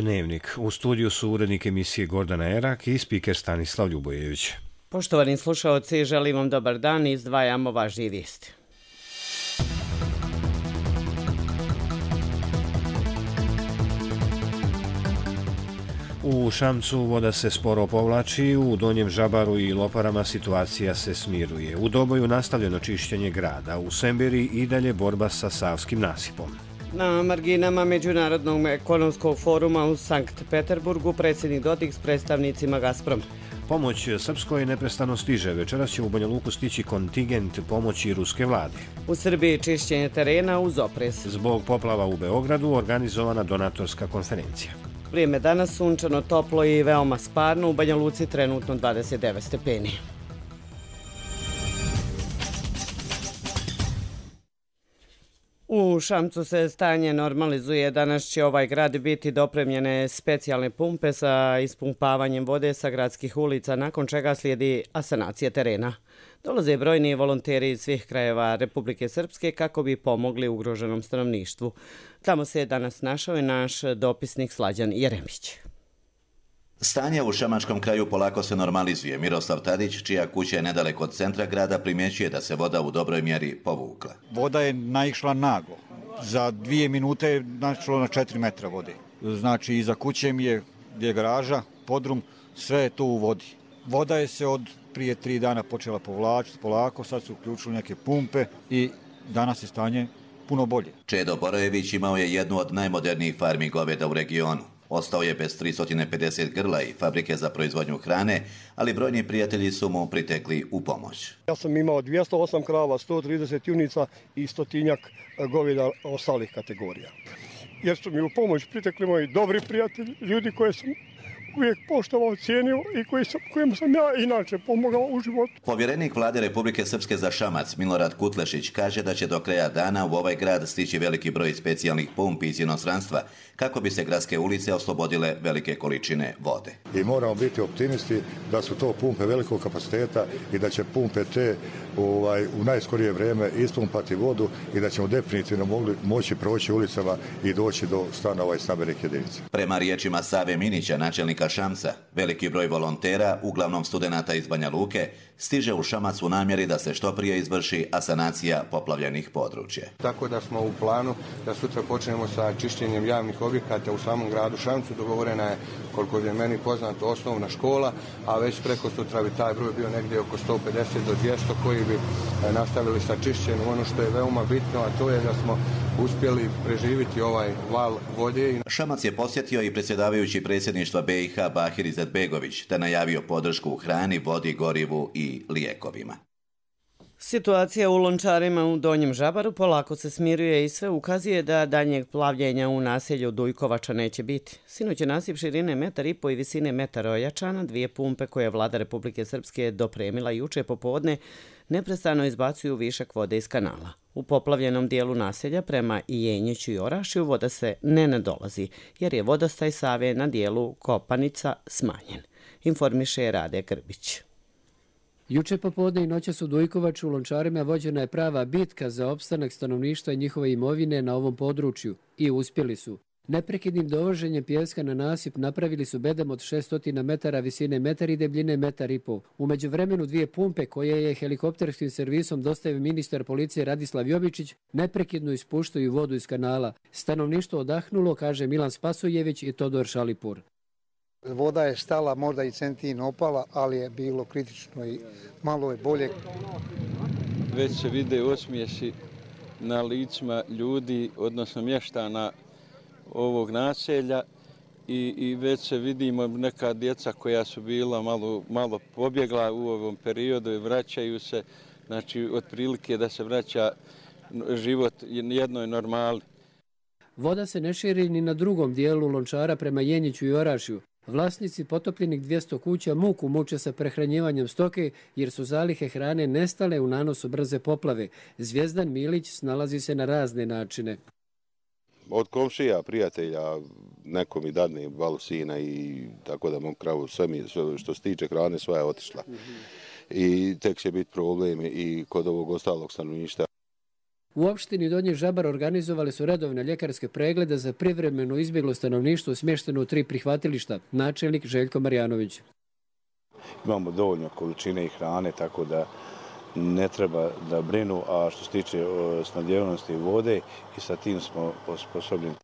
Dnevnik. U studiju su urednik emisije Gordana Erak i spiker Stanislav Ljubojević. Poštovani slušaoci, želim vam dobar dan i izdvajamo važnije vijesti. U Šamcu voda se sporo povlači, u Donjem Žabaru i Loparama situacija se smiruje. U Doboju nastavljeno čišćenje grada, u Semberi i dalje borba sa Savskim nasipom. Na marginama Međunarodnog ekonomskog foruma u Sankt Peterburgu predsjednik Dodik s predstavnicima Gazproma. Pomoć Srpskoj neprestano stiže. Večeras će u Banja Luku stići kontingent pomoći ruske vlade. U Srbiji čišćenje terena uz oprez. Zbog poplava u Beogradu organizovana donatorska konferencija. Vrijeme danas sunčano, toplo i veoma sparno. U Banja Luci trenutno 29 stepeni. U Šamcu se stanje normalizuje. Danas će ovaj grad biti dopremljene specijalne pumpe sa ispumpavanjem vode sa gradskih ulica, nakon čega slijedi asanacija terena. Dolaze brojni volonteri iz svih krajeva Republike Srpske kako bi pomogli ugroženom stanovništvu. Tamo se je danas našao i naš dopisnik Slađan Jeremić. Stanje u šamačkom kraju polako se normalizuje. Miroslav Tadić, čija kuća je nedaleko od centra grada, primjećuje da se voda u dobroj mjeri povukla. Voda je naišla naglo. Za 2 minute je naišlo na 4 metra vode. Znači, iza kuće mi je, gdje je garaža, podrum, sve je to u vodi. Voda je se od prije 3 dana počela povlačiti polako, sad su uključili neke pumpe i danas je stanje puno bolje. Čedo Borojević imao je jednu od najmodernijih farmi goveda u regionu. Ostao je bez 350 grla i fabrike za proizvodnju hrane, ali brojni prijatelji su mu pritekli u pomoć. Ja sam imao 208 krava, 130 junica i 100 goveda ostalih kategorija. Jer su mi u pomoć pritekli moji dobri prijatelji, ljudi koje sam uvijek poštovao, cijenio i kojim sam ja inače pomogao u životu. Povjerenik vlade Republike Srpske za Šamac, Milorad Kutlešić, kaže da će do kraja dana u ovaj grad stići veliki broj specijalnih pumpi iz inostranstva kako bi se gradske ulice oslobodile velike količine vode. I moramo biti optimisti da su to pumpe velikog kapaciteta i da će pumpe te u najskorije vrijeme ispumpati vodu i da ćemo definitivno moći proći ulicama i doći do stanova i stambenih jedinica. Prema riječima Save Minića, načelnika Šamca, veliki broj volontera, uglavnom studenata iz Banja Luke, stiže u Šamac u namjeri da se što prije izvrši asanacija poplavljenih područja. Tako da smo u planu da sutra počnemo sa čišćenjem javnih objekata u samom gradu Šamcu. Dogovorena je, koliko je meni poznato, osnovna škola, a već preko sutra bi taj broj bio negdje oko 150 do 200 koji bi nastavili sa čišćenjem. Ono što je veoma bitno, a to je da smo uspjeli preživiti ovaj val vode. Šamac je posjetio i predsjedavajući predsjedništva BiH Bahir Izetbegović, te najavio podršku u hrani, vodi, gorivu i lijekovima. Situacija u Lončarima u Donjem Žabaru polako se smiruje i sve ukazuje da daljnjeg plavljenja u naselju Dujkovača neće biti. Sinoć je nasip širine 1,5 m i visine 1 m ojačana. 2 pumpe koje je vlada Republike Srpske dopremila juče popodne neprestano izbacuju višak vode iz kanala. U poplavljenom dijelu naselja prema Jenjiću i Orašju voda se ne nadolazi, jer je vodostaj Save na dijelu Kopanica smanjen, informiše Rade Grbić. Juče popodne i noćas u Dujkovaču u Lončarima vođena je prava bitka za opstanak stanovništva i njihove imovine na ovom području i uspjeli su. Neprekidnim dovoženjem pijeska na nasip napravili su bedem od 600 metara visine 1 m i debljine 1,5 m. U međuvremenu 2 pumpe koje je helikopterskim servisom dostavio ministar policije Radislav Jovičić neprekidno ispuštaju vodu iz kanala. Stanovništvo odahnulo, kaže Milan Spasojević i Todor Šalipur. Voda je stala, možda i centin opala, ali je bilo kritično i malo je bolje. Već se vide osmijesi na licima ljudi, odnosno mještana ovog naselja i već se vidimo neka djeca koja su bila malo pobjegla u ovom periodu i vraćaju se, znači otprilike da se vraća život jednoj normali. Voda se ne širi ni na drugom dijelu Lončara prema Jenjiću i Orašju. Vlasnici potopljenih 200 kuća muku muče sa prehranjivanjem stoke jer su zalihe hrane nestale u nanosu brze poplave. Zvijezdan Milić snalazi se na razne načine. Od komšija, prijatelja, neko mi dadne valu sina i tako da mom kravu sve što se tiče hrane sva je otišla. I tek će biti problem i kod ovog ostalog stanovništva. U opštini Donji Žabar organizovali su redovne ljekarske preglede za privremeno izbjeglo stanovništvo smješteno u 3 prihvatilišta, načelnik Željko Marjanović. Imamo dovoljno količine i hrane, tako da ne treba da brinu, a što se tiče snabdjevanosti vode i sa tim smo osposobljeni.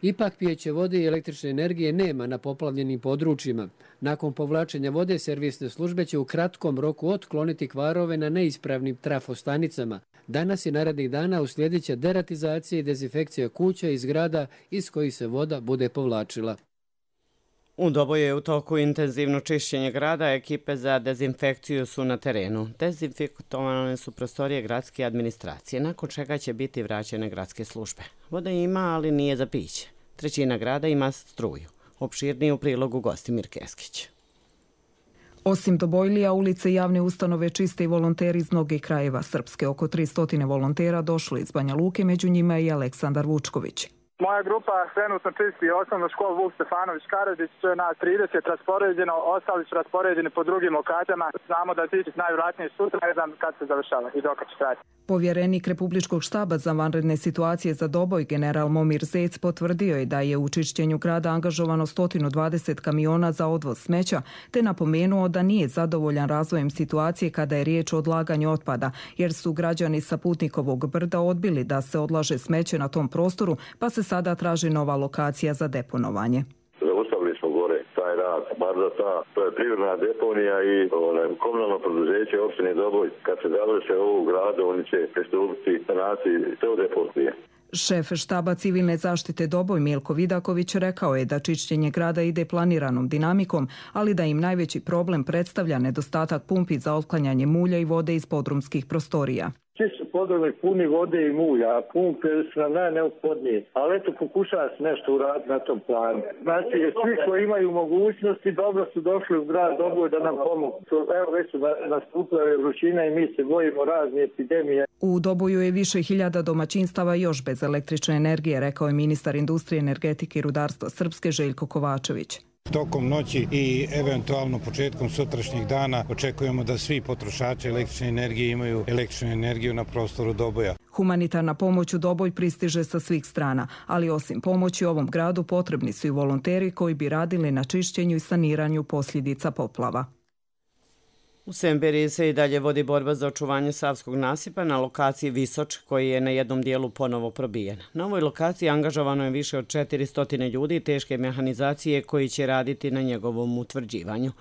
Ipak pijeće vode i električne energije nema na poplavljenim područjima. Nakon povlačenja vode, servisne službe će u kratkom roku otkloniti kvarove na neispravnim trafostanicama. Danas i narednih dana uslijedit će deratizacija i dezinfekcija kuća i zgrada iz kojih se voda bude povlačila. U Doboju je u toku intenzivno čišćenje grada, ekipe za dezinfekciju su na terenu. Dezinfektovane su prostorije gradske administracije, nakon čega će biti vraćene gradske službe. Voda ima, ali nije za piće. 1/3 grada ima struju. Opširniji u prilogu Gostimir Keskić. Osim Dobojlija, ulice i javne ustanove čiste i volonteri iz mnogih krajeva Srpske. Oko 300 volontera došlo iz Banja Luke, među njima i Aleksandar Vučković. Moja grupa trenutno čisti osnovnu školu Vuk Stefanović Karadžić, na 30 raspoređeno, ostali su raspoređeni po drugim lokacijama. Znamo da će najvjerojatnije sutra, ne znam kad se završava i dok će trajati. Povjerenik Republičkog štaba za vanredne situacije za Doboj, general Momir Zec, potvrdio je da je u čišćenju grada angažovano 120 kamiona za odvoz smeća, te napomenuo da nije zadovoljan razvojem situacije kada je riječ o odlaganju otpada, jer su građani sa Putnikovog brda odbili da se odlaže smeće na tom prostoru, pa se sada traži nova lokacija za deponovanje. Ostavili smo gore taj rad, bar za to je privredna deponija i komunalno preduzeće opštine Doboj. Kad se završe ovog grada, oni će pristupiti sanaciji te deponije. Šef štaba civilne zaštite Doboj Milko Vidaković rekao je da čišćenje grada ide planiranom dinamikom, ali da im najveći problem predstavlja nedostatak pumpi za otklanjanje mulja i vode iz podrumskih prostorija. Svi su podrumi puni vode i mulja, a pumpe su nam najneophodnije. Ali eto, pokušava se nešto uraditi na tom planu. Znači, svi koji imaju mogućnosti dobro su došli u grad Doboj da nam pomogu. Evo, već su nastupile vrućina i mi se bojimo razne epidemije. U Doboju je više hiljada domaćinstava još bez električne energije, rekao je ministar industrije, energetike i rudarstva Srpske Željko Kovačević. Tokom noći i eventualno početkom sutrašnjih dana očekujemo da svi potrošači električne energije imaju električnu energiju na prostoru Doboja. Humanitarna pomoć u Doboj pristiže sa svih strana, ali osim pomoći ovom gradu potrebni su i volonteri koji bi radili na čišćenju i saniranju posljedica poplava. U Semberiji se i dalje vodi borba za očuvanje Savskog nasipa na lokaciji Visoč, koji je na jednom dijelu ponovo probijen. Na ovoj lokaciji angažovano je više od 400 ljudi teške mehanizacije koji će raditi na njegovom utvrđivanju.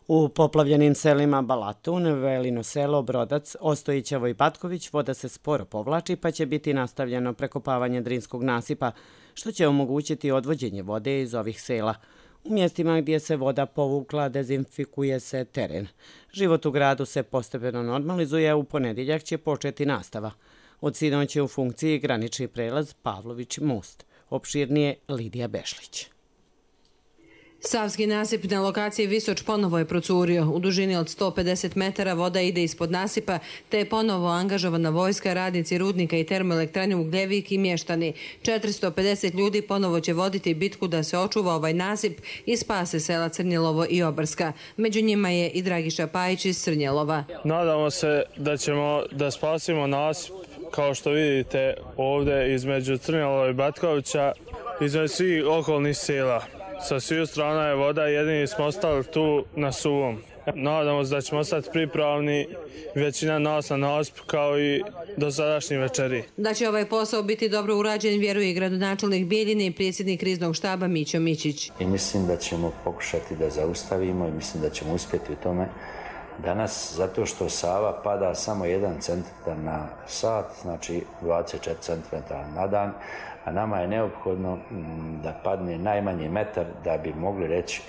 U poplavljenim selima Balatun, Velino selo, Brodac, Ostojićevo i Patković voda se sporo povlači, pa će biti nastavljeno prekopavanje Drinskog nasipa, što će omogućiti odvođenje vode iz ovih sela. U mjestima gdje se voda povukla dezinfikuje se teren. Život u gradu se postepeno normalizuje, a u ponedjeljak će početi nastava. Od sinoć je u funkciji granični prelaz Pavlović most. Opširnije Lidija Bešlić. Savski nasip na lokaciji Visoč ponovo je procurio. U dužini od 150 metara voda ide ispod nasipa, te je ponovo angažovana vojska, radnici rudnika i termoelektrane Ugljevik i mještani. 450 ljudi ponovo će voditi bitku da se očuva ovaj nasip i spase sela Crnjelovo i Obrska. Među njima je i Dragiša Pajić iz Crnjelova. Nadamo se da ćemo da spasimo nasip, kao što vidite ovdje između Crnjelova i Batkovića, između svih okolnih sela. Sa svih strana je voda, jedini smo ostali tu na suvom. Nadamo se da ćemo ostati pripravni, većina nas na nasip kao i dosadašnji večeri. Da će ovaj posao biti dobro urađen, vjeruje i gradonačelnik Bijeljine i predsjednik kriznog štaba Mićo Mićić. I mislim da ćemo pokušati da zaustavimo i mislim da ćemo uspjeti u tome danas, zato što Sava pada samo 1 centimetar na sat, znači 24 centimetara na dan, a nama je neophodno da padne najmanje metar da bi mogli reći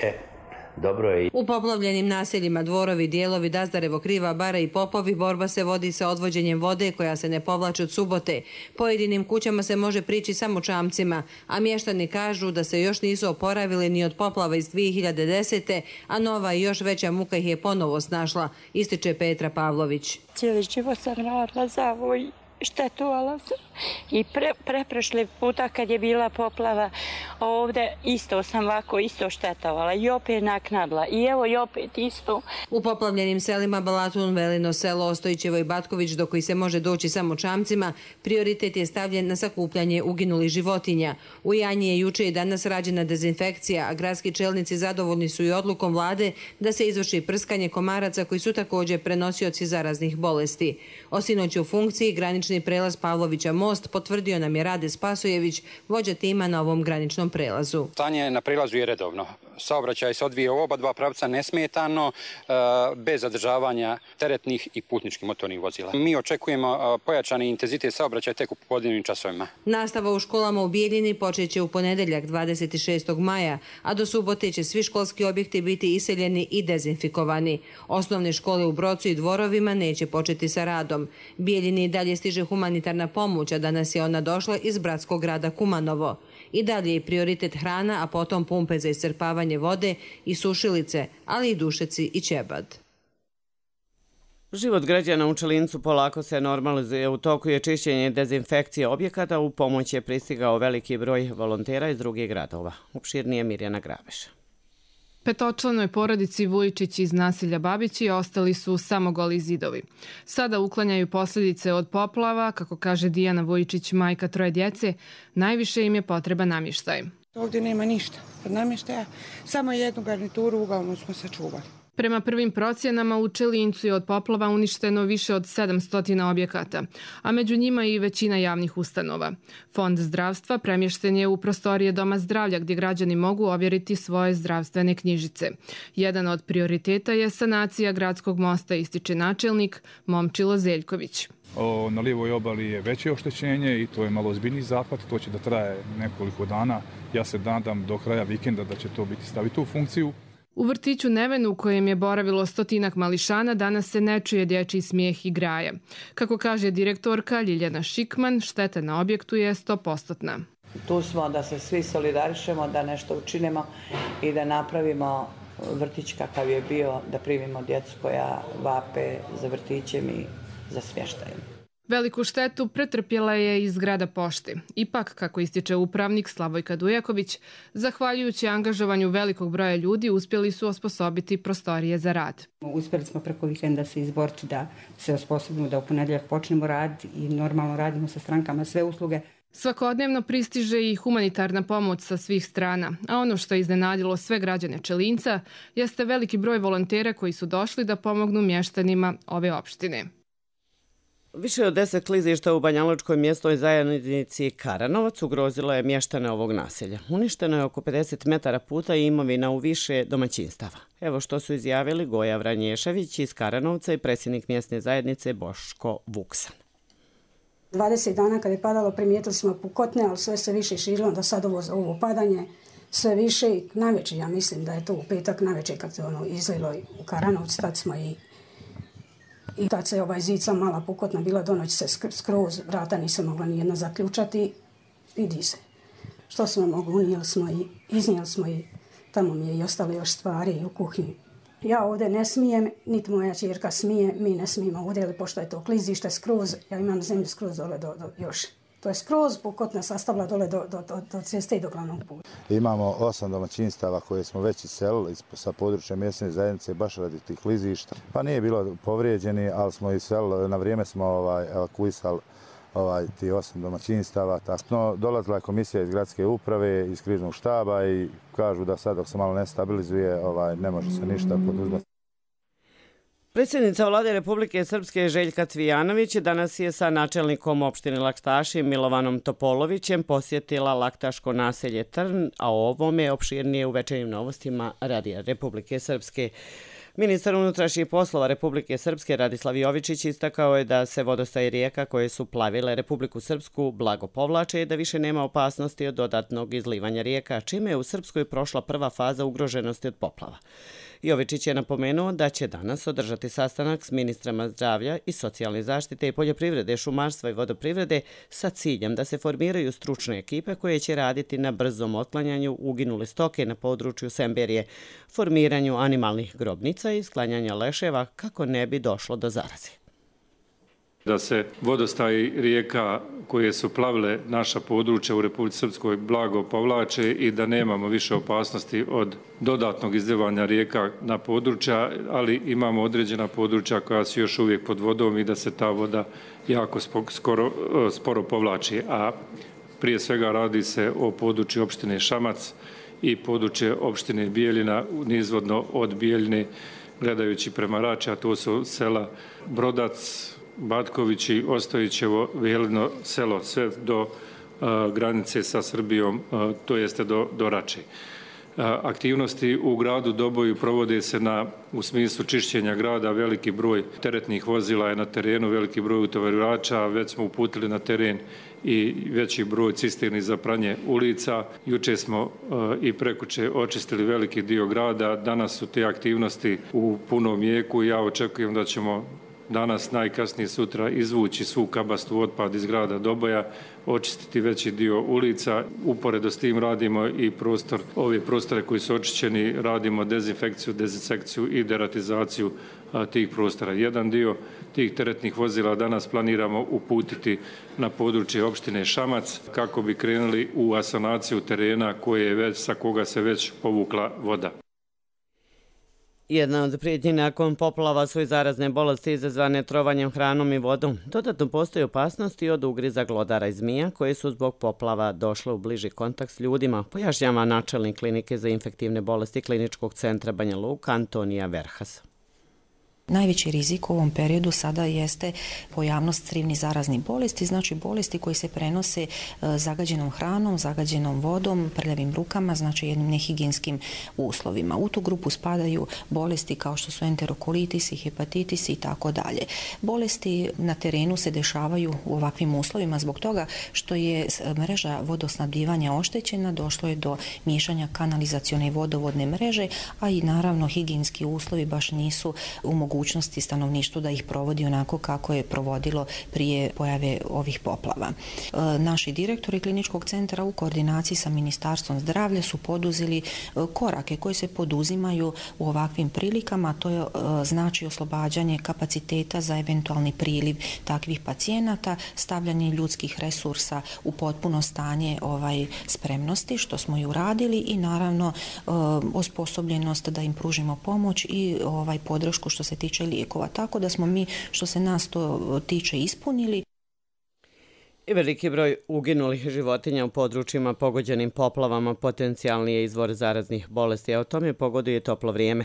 dobro je. U poplavljenim naseljima Dvorovi, Dijelovi, Dazdarevo, Kriva, Bara i Popovi borba se vodi sa odvođenjem vode koja se ne povlači od subote. Pojedinim kućama se može prići samo čamcima, a mještani kažu da se još nisu oporavili ni od poplava iz 2010. a nova i još veća muka ih je ponovo snašla, ističe Petra Pavlović. Cijeli život sam radila za ovo i štetovala sam i preprošli puta kad je bila poplava ovde isto sam ovako isto štetovala i opet naknadila i evo i opet isto. U poplavljenim selima Balatun, Velino selo, Ostojićevo i Batković, do koji se može doći samo čamcima, prioritet je stavljen na sakupljanje uginulih životinja. U Janji je juče i danas rađena dezinfekcija, a gradski čelnici zadovoljni su i odlukom vlade da se izvrši prskanje komaraca koji su također prenosioci zaraznih bolesti. O sinoć u funkciji granični prelaz Pavlovića most potvrdio nam je Rade Spasojević, vođa tima na ovom graničnom prelazu. Stanje na prelazu je redovno. Saobraćaj se odvija u oba dva pravca nesmetano, bez zadržavanja teretnih i putničkih motornih vozila. Mi očekujemo pojačani intenzitet saobraćaja tek u popodnevnim časovima. Nastava u školama u Bijeljini počeće u ponedjeljak 26. maja, a do subote će svi školski objekti biti iseljeni i dezinfikovani. Osnovne škole u Brocu i Dvorovima neće početi sa radom. Bijeljini dalje stiže humanitarna pomoć, a danas je ona došla iz bratskog grada Kumanovo. I dalje je prioritet hrana, a potom pumpe za iscrpavanje vode i sušilice, ali i dušeci i ćebad. Život građana u Čelincu polako se normalizuje. U toku je čišćenje i dezinfekcije objekata. U pomoć je pristigao veliki broj volontera iz drugih gradova. Opširnije Mirjana Grabeša. Petočlanoj porodici Vujičić iz naselja Babići ostali su samo goli zidovi. Sada uklanjaju posljedice od poplava, kako kaže Dijana Vujičić, majka troje djece, najviše im je potreba namještaj. Ovdje nema ništa od namještaja, samo jednu garnituru uglavnom smo sačuvali. Prema prvim procjenama u Čelincu je od poplava uništeno više od 700 objekata, a među njima i većina javnih ustanova. Fond zdravstva premješten je u prostorije Doma zdravlja gdje građani mogu ovjeriti svoje zdravstvene knjižice. Jedan od prioriteta je sanacija gradskog mosta, ističe načelnik Momčilo Zeljković. Na lijevoj obali je veće oštećenje i to je malo ozbiljniji zahvat, to će da traje nekoliko dana. Ja se nadam do kraja vikenda da će to biti staviti u funkciju. U vrtiću Nevenu, u kojem je boravilo 100 mališana, danas se ne čuje dječji smijeh i graje. Kako kaže direktorka Ljiljana Šikman, šteta na objektu je 100%. Tu smo da se svi solidarišemo, da nešto učinimo i da napravimo vrtić kakav je bio, da primimo djecu koja vape za vrtićem i za smještajem. Veliku štetu pretrpjela je i zgrada pošte. Ipak, kako ističe upravnik Slavojka Dujaković, zahvaljujući angažovanju velikog broja ljudi uspjeli su osposobiti prostorije za rad. Uspjeli smo preko vikenda se izboriti da se osposobimo da u ponedjeljak počnemo raditi i normalno radimo sa strankama sve usluge. Svakodnevno pristiže i humanitarna pomoć sa svih strana, a ono što je iznenadilo sve građane Čelinca jeste veliki broj volontera koji su došli da pomognu mještanima ove opštine. Više od 10 klizišta u Banjalučkoj mjesnoj zajednici Karanovac ugrozilo je mještane ovog naselja. Uništeno je oko 50 metara puta i imovina u više domaćinstava. Evo što su izjavili Goja Vranješević iz Karanovca i predsjednik mjesne zajednice Boško Vuksan. 20 dana kad je padalo primijetili smo pukotne, ali sve se više širilo, da sad ovo padanje sve više i navečer, ja mislim da je to u petak navečer kad se izlilo u Karanovcu, tad smo i tad se zica mala pukotna bila, do noći se skroz, vrata nisam mogla nijedna zaključati, vidi se. Što smo mogli, unijeli smo i iznijeli smo i tamo mi je i ostale još stvari u kuhinji. Ja ovdje ne smijem, niti moja ćerka smije, mi ne smijemo ovdje, pošto je to klizište skroz, ja imam zemlju skroz dole do još. To je skroz pukotna sastavila dole do ceste i do glavnog puta. Imamo 8 domaćinstava koje smo već iselili sa područja mjesne zajednice baš radi tih klizišta. Pa nije bilo povrijeđeni, ali smo iselili, na vrijeme smo evakuisali ti 8 domaćinstava. No, dolazila je komisija iz gradske uprave, iz kriznog štaba i kažu da sad dok se malo ne stabilizuje ne može se ništa poduzeti. Predsjednica vlade Republike Srpske Željka Cvijanović danas je sa načelnikom opštine Laktaši Milovanom Topolovićem posjetila laktaško naselje Trn, a o ovome opširnije u večernjim novostima Radija Republike Srpske. Ministar unutrašnjih poslova Republike Srpske Radislav Jovičić istakao je da se vodostaj rijeka koje su plavile Republiku Srpsku blago povlače i da više nema opasnosti od dodatnog izlivanja rijeka, čime je u Srpskoj prošla prva faza ugroženosti od poplava. Jovičić je napomenuo da će danas održati sastanak s ministrama zdravlja i socijalne zaštite i poljoprivrede, šumarstva i vodoprivrede sa ciljem da se formiraju stručne ekipe koje će raditi na brzom otklanjanju uginule stoke na području Semberije, formiranju animalnih grobnica i sklanjanja leševa kako ne bi došlo do zaraze. Da se vodostaji rijeka koje su plavile naša područja u Republici Srpskoj blago povlače i da nemamo više opasnosti od dodatnog izljevanja rijeka na područja, ali imamo određena područja koja su još uvijek pod vodom i da se ta voda jako sporo povlači. A prije svega radi se o području opštine Šamac i područje opštine Bijeljina, nizvodno od Bijeljine gledajući prema Rači, a to su sela Brodac, Batkovići, Ostojićevo, Velino selo, sve do granice sa Srbijom, to jeste do Rače. Aktivnosti u gradu Doboju provode se u smislu čišćenja grada, veliki broj teretnih vozila je na terenu, veliki broj utovarivača, već smo uputili na teren i veći broj cisterni za pranje ulica. Juče smo i prekuče očistili veliki dio grada, danas su te aktivnosti u punom jeku i ja očekujem da ćemo danas, najkasnije sutra, izvući svu kabastu otpad iz grada Doboja, očistiti veći dio ulica. Uporedo s tim radimo i ove prostore koji su očišćeni, radimo dezinfekciju, dezinsekciju i deratizaciju tih prostora. Jedan dio tih teretnih vozila danas planiramo uputiti na područje opštine Šamac kako bi krenuli u asanaciju terena sa koga se već povukla voda. Jedna od prijetnji nakon poplava su i zarazne bolesti izazvane trovanjem hranom i vodom. Dodatno postoji opasnosti od ugriza glodara i zmija koje su zbog poplava došle u bliži kontakt s ljudima, pojašnjava načelnik klinike za infektivne bolesti Kliničkog centra Banja Luka Antonija Verhas. Najveći rizik u ovom periodu sada jeste pojavnost crivnih zaraznih bolesti, znači bolesti koji se prenose zagađenom hranom, zagađenom vodom, prljavim rukama, znači jednim nehigijenskim uslovima. U tu grupu spadaju bolesti kao što su enterokolitis, hepatitis i tako dalje. Bolesti na terenu se dešavaju u ovakvim uslovima zbog toga što je mreža vodosnabdivanja oštećena, došlo je do miješanja kanalizacione i vodovodne mreže, a i naravno higijenski uslovi baš nisu u mogućnosti stanovništvu da ih provodi onako kako je provodilo prije pojave ovih poplava. Naši direktori kliničkog centra u koordinaciji sa Ministarstvom zdravlja su poduzeli korake koji se poduzimaju u ovakvim prilikama, to je znači oslobađanje kapaciteta za eventualni priliv takvih pacijenata, stavljanje ljudskih resursa u potpuno stanje spremnosti, što smo i uradili, i naravno osposobljenost da im pružimo pomoć i podršku što se tiče lijekova. Tako da smo mi, što se nas to tiče, ispunili. I veliki broj uginulih životinja u područjima pogođenim poplavama potencijalni je izvor zaraznih bolesti, a o tome pogoduje toplo vrijeme.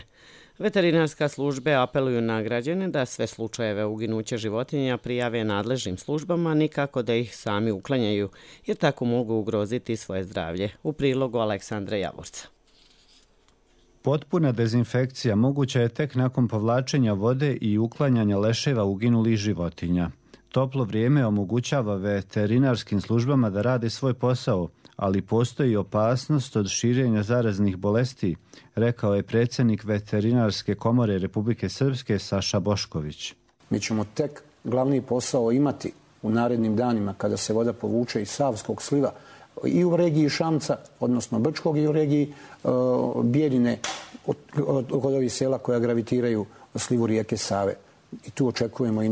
Veterinarska službe apeluju na građane da sve slučajeve uginuća životinja prijave nadležnim službama, nikako da ih sami uklanjaju, jer tako mogu ugroziti svoje zdravlje. U prilogu Aleksandra Javorca. Potpuna dezinfekcija moguća je tek nakon povlačenja vode i uklanjanja leševa uginulih životinja. Toplo vrijeme omogućava veterinarskim službama da rade svoj posao, ali postoji opasnost od širenja zaraznih bolesti, rekao je predsjednik Veterinarske komore Republike Srpske Saša Bošković. Mi ćemo tek glavni posao imati u narednim danima kada se voda povuče iz Savskog sliva i u regiji Šamca, odnosno Brčkog, i u regiji Bijeljine, kod ovih sela koja gravitiraju slivu rijeke Save. I tu očekujemo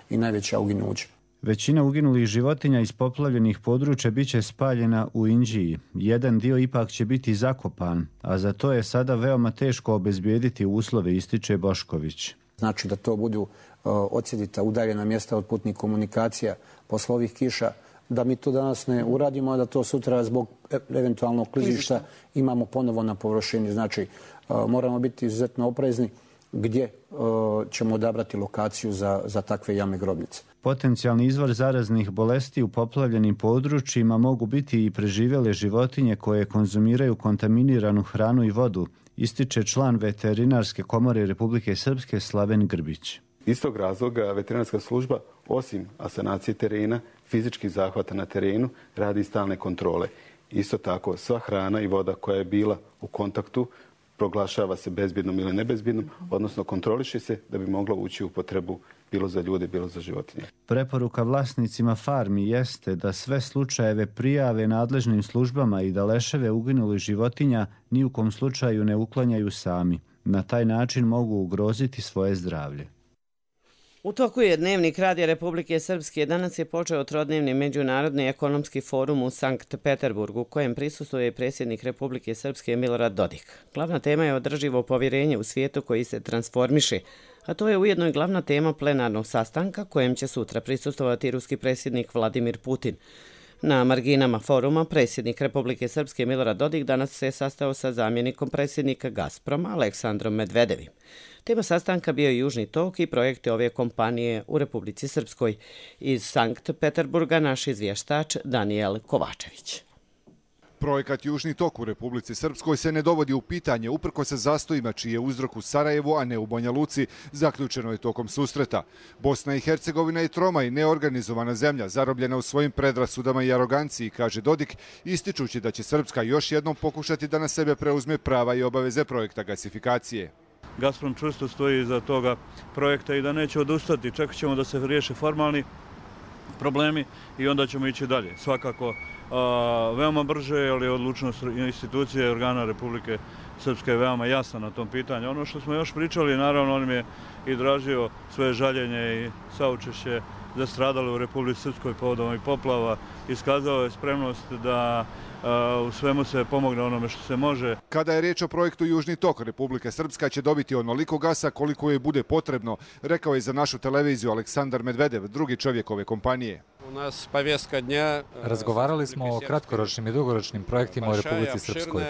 i najveća uginuća. Većina uginulih životinja iz poplavljenih područja bit će spaljena u Inđiji. Jedan dio ipak će biti zakopan, a za to je sada veoma teško obezbijediti uslove, ističe Bošković. Znači da to budu odsjedita udaljena mjesta od putnih komunikacija posle ovih kiša, da mi to danas ne uradimo, a da to sutra zbog eventualnog klizišta imamo ponovo na površini. Znači, moramo biti izuzetno oprezni gdje ćemo odabrati lokaciju za takve jame grobnice. Potencijalni izvor zaraznih bolesti u poplavljenim područjima mogu biti i preživjele životinje koje konzumiraju kontaminiranu hranu i vodu, ističe član Veterinarske komore Republike Srpske Slaven Grbić. Iz tog razloga veterinarska služba, osim asanacije terena, fizičkih zahvata na terenu, radi stalne kontrole. Isto tako, sva hrana i voda koja je bila u kontaktu proglašava se bezbjednom ili nebezbjednom, odnosno kontroliše se da bi mogla ući u potrebu bilo za ljude, bilo za životinje. Preporuka vlasnicima farmi jeste da sve slučajeve prijave nadležnim službama i da leševe uginulih životinja ni u kom slučaju ne uklanjaju sami. Na taj način mogu ugroziti svoje zdravlje. U toku je Dnevnik Radija Republike Srpske. Danas je počeo trodnevni međunarodni ekonomski forum u Sankt Peterburgu, u kojem prisustvuje predsjednik Republike Srpske Milorad Dodik. Glavna tema je održivo povjerenje u svijetu koji se transformiše, a to je ujedno i glavna tema plenarnog sastanka kojem će sutra prisustvovati ruski predsjednik Vladimir Putin. Na marginama foruma predsjednik Republike Srpske Milorad Dodik danas se sastao sa zamjenikom predsjednika Gazproma Aleksandrom Medvedevim. Tema sastanka bio je Južni tok i projekte ove kompanije u Republici Srpskoj. Iz Sankt Peterburga naš izvještač Danijel Kovačević. Projekat Južni tok u Republici Srpskoj se ne dovodi u pitanje uprkos se zastojima čiji je uzrok u Sarajevu, a ne u Banja Luci, zaključeno je tokom susreta. Bosna i Hercegovina je troma i neorganizovana zemlja, zarobljena u svojim predrasudama i aroganciji, kaže Dodik, ističući da će Srpska još jednom pokušati da na sebe preuzme prava i obaveze projekta gasifikacije. Gazprom čvrsto stoji iza toga projekta i da neće odustati. Čekat ćemo da se riješe formalni problemi i onda ćemo ići dalje. Svakako veoma brže, ali odlučnost institucije i organa Republike Srpske je veoma jasna na tom pitanju. Ono što smo još pričali, naravno, on mi je i dražio svoje žaljenje i saučešće za stradale u Republici Srpskoj povodom ovih poplava. Iskazao je spremnost da u svemu se pomogne onome što se može. Kada je riječ o projektu Južni tok, Republika Srpska će dobiti onoliko gasa koliko je bude potrebno, rekao je za našu televiziju Aleksandar Medvedev, drugi čovjek ove kompanije. Razgovarali smo o kratkoročnim i dugoročnim projektima u Republici Srpskoj.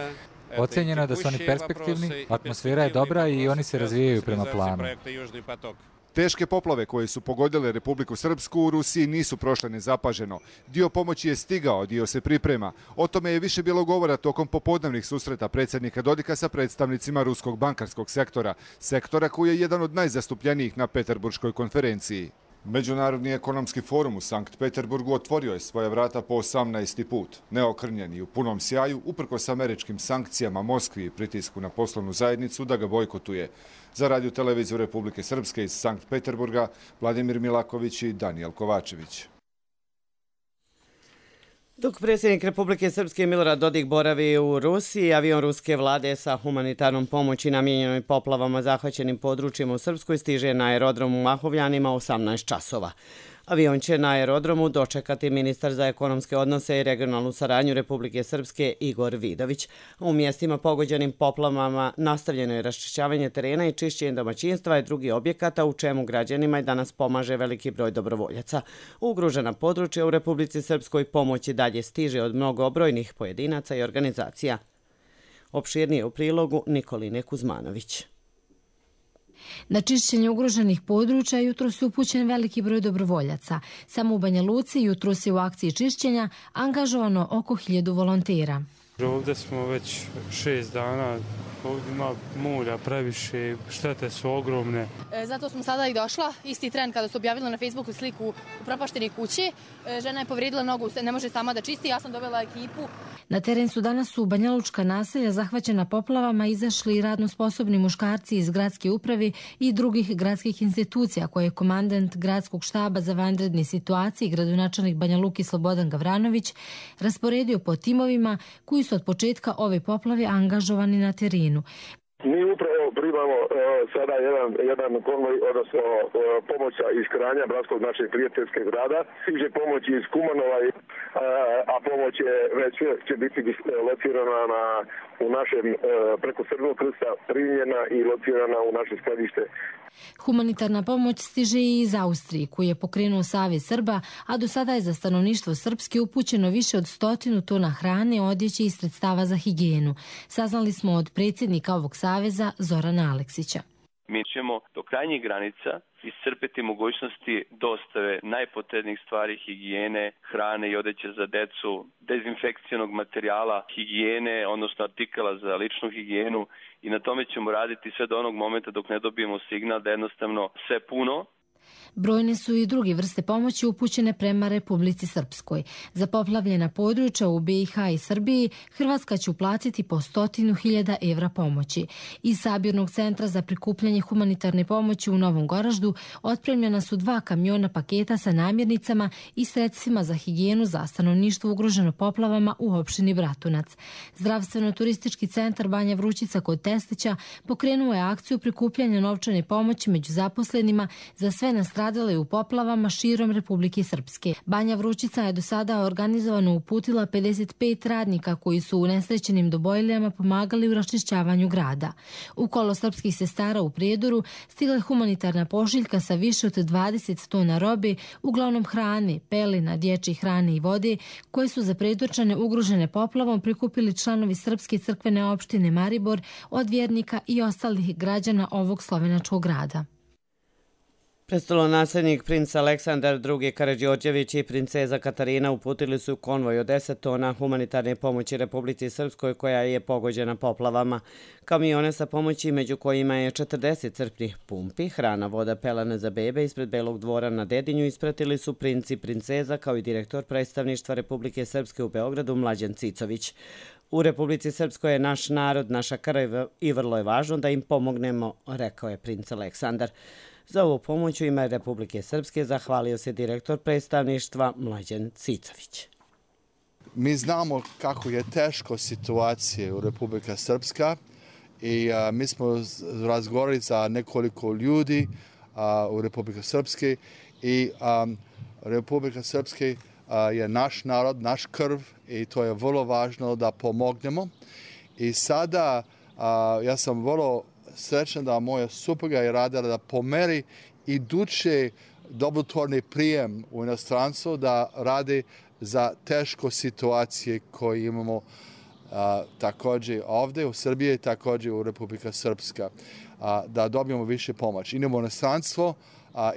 Ocenjeno je da su oni perspektivni, atmosfera je dobra i oni se razvijaju prema planu. Teške poplave koje su pogodile Republiku Srpsku u Rusiji nisu prošle nezapaženo. Dio pomoći je stigao, dio se priprema. O tome je više bilo govora tokom popodnevnih susreta predsjednika Dodika sa predstavnicima ruskog bankarskog sektora koji je jedan od najzastupljenijih na Peterburškoj konferenciji. Međunarodni ekonomski forum u Sankt Peterburgu otvorio je svoja vrata po 18. put. Neokrnjen i u punom sjaju, uprkos američkim sankcijama Moskvi i pritisku na poslovnu zajednicu da ga bojkotuje. Za Radio televiziju Republike Srpske iz Sankt Peterburga, Vladimir Milaković i Danijel Kovačević. Dok predsjednik Republike Srpske Milorad Dodik boravi u Rusiji, avion ruske vlade sa humanitarnom pomoći namijenjenoj poplavama zahvaćenim područjima u Srpskoj stiže na aerodrom u Mahovljanima 18 časova. Avion će na aerodromu dočekati ministar za ekonomske odnose i regionalnu saradnju Republike Srpske Igor Vidović. U mjestima pogođenim poplavama nastavljeno je raščišćavanje terena i čišćenje domaćinstva i drugih objekata, u čemu građanima i danas pomaže veliki broj dobrovoljaca. U ugrožena područja u Republici Srpskoj pomoć i dalje stiže od mnogobrojnih pojedinaca i organizacija. Opširnije u prilogu Nikoline Kuzmanović. Na čišćenje ugroženih područja jutros je upućen veliki broj dobrovoljaca. Samo u Banja Luci jutros je u akciji čišćenja angažovano oko 1000 volontera. Ovdje smo već 6 dana, ovdje ima mulja previše, štete su ogromne. Zato smo sada i došla, isti tren kada su objavili na Facebooku sliku upropaštene kuće. Žena je povrijedila nogu, ne može sama da čisti, ja sam dovela ekipu. Na teren su danas u Banja Lučka naselja zahvaćena poplavama izašli radno sposobni muškarci iz gradske uprave i drugih gradskih institucija koje je komandant gradskog štaba za vanredne situacije i gradonačelnik Banja Luki Slobodan Gavranović rasporedio po timovima koji su od početka ove poplave angažovani na terenu. Mi upravo primamo sada jedan konvoj, odnosno pomoć iz Kranja, bratskog našeg prijateljskog grada. Stiže pomoć iz Kumanova, a pomoć je već će biti locirana u našem preko Crvenog krsta primljena i locirana u naše skladište. Humanitarna pomoć stiže i iz Austrije, koju je pokrenuo Savez Srba, a do sada je za stanovništvo Srpske upućeno više od 100 tona hrane, odjeće i sredstava za higijenu. Saznali smo od predsjednika ovog saveza Zorana Aleksića. Mi ćemo do krajnjih granica iscrpiti mogućnosti dostave najpotrebnijih stvari higijene, hrane i odeće za decu, dezinfekcijnog materijala, higijene, odnosno artikala za ličnu higijenu i na tome ćemo raditi sve do onog momenta dok ne dobijemo signal da jednostavno sve puno. Brojne su i druge vrste pomoći upućene prema Republici Srpskoj. Za poplavljena područja u BiH i Srbiji Hrvatska će uplatiti po 100.000 evra pomoći. Iz sabirnog centra za prikupljanje humanitarne pomoći u Novom Goraždu otpremljena su 2 kamiona paketa sa namirnicama i sredstvima za higijenu za stanovništvo ugroženo poplavama u opštini Bratunac. Zdravstveno-turistički centar Banja Vrućica kod Testića pokrenuo je akciju prikupljanja novčane pomoći među zaposlenima za sve nastradale u poplavama širom Republike Srpske. Banja Vrućica je do sada organizovano uputila 55 radnika koji su u nesrećenim dobojlijama pomagali u raščišćavanju grada. U kolo srpskih sestara u Prijedoru stigla je humanitarna pošiljka sa više od 20 tona robe, uglavnom hrane, pelena, dječje hrane i vode, koje su za Prijedorčane ugrožene poplavom prikupili članovi Srpske crkvene opštine Maribor od vjernika i ostalih građana ovog slovenačkog grada. Prestolonaslednik princ Aleksandar II. Karađorđević i princeza Katarina uputili su konvoj od 10 tona humanitarne pomoći Republici Srpskoj koja je pogođena poplavama. Kamione sa pomoći među kojima je 40 crpnih pumpi, hrana, voda, pelene za bebe ispred Belog dvora na Dedinju ispratili su princ i princeza kao i direktor predstavništva Republike Srpske u Beogradu Mlađan Cicović. U Republici Srpskoj je naš narod, naša krv i vrlo je važno da im pomognemo, rekao je princ Aleksandar. Za ovu pomoć u ime Republike Srpske zahvalio se direktor predstavništva Mlađan Cicović. Mi znamo kako je teško situacija u Republika Srpska i mi smo razgovarali sa nekoliko ljudi u Republika Srpske i Republika Srpske je naš narod, naš krv i to je vrlo važno da pomognemo. I sada ja sam vrlo srećan da moja supruga je radila da pomeri iduće dobrotvorni prijem u inostranstvu, da radi za teško situacije koje imamo također ovdje u Srbiji i također u Republika Srpska, da dobijemo više pomoći. Idemo u inostranstvo